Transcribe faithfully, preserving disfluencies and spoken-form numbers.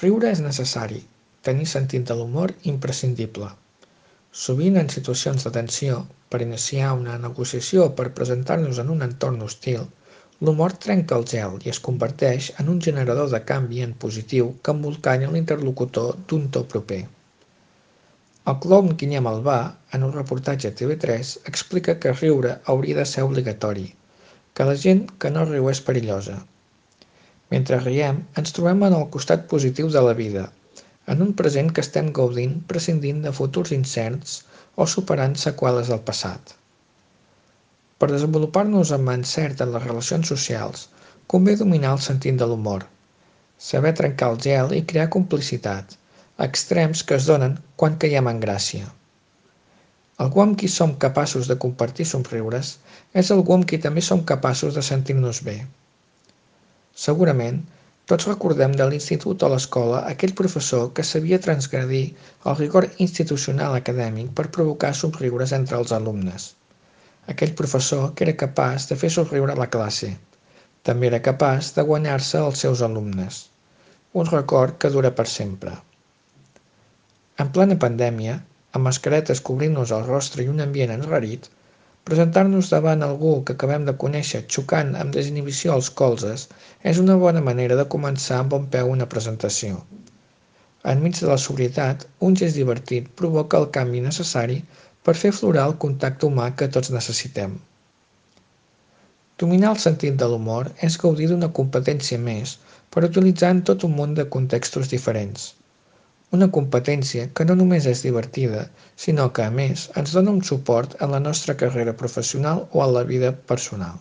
Riure és necessari, tenir sentit de l'humor imprescindible. Sovint en situacions de tensió, per iniciar una negociació o per presentar-nos en un entorn hostil, l'humor trenca el gel i es converteix en un generador de canvi en positiu que embolcalla l'interlocutor d'un to proper. El clown Guillem Albà, en un reportatge a T V tres, explica que riure hauria de ser obligatori, que la gent que no riu és perillosa. Mentre riem, ens trobem en el costat positiu de la vida, en un present que estem gaudint prescindint de futurs incerts o superant seqüeles del passat. Per desenvolupar-nos amb encert en les relacions socials, convé dominar el sentit de l'humor, saber trencar el gel i crear complicitat, extrems que es donen quan caiem en gràcia. Algú amb qui som capaços de compartir somriures és algú amb qui també som capaços de sentir-nos bé. Segurament, tots recordem de l'institut o l'escola aquell professor que sabia transgredir el rigor institucional acadèmic per provocar somriures entre els alumnes. Aquell professor que era capaç de fer somriure la classe. També era capaç de guanyar-se els seus alumnes. Un record que dura per sempre. En plena pandèmia, amb mascaretes cobrint-nos el rostre i un ambient enrarit, presentar-nos davant algú que acabem de conèixer xocant amb desinhibició els colzes és una bona manera de començar amb bon peu una presentació. Enmig de la sobrietat, un gest divertit provoca el canvi necessari per fer aflorar el contacte humà que tots necessitem. Dominar el sentit de l'humor és gaudir d'una competència més per utilitzar en tot un munt de contextos diferents. Una competència que no només és divertida, sinó que, a més, ens dona un suport en la nostra carrera professional o en la vida personal.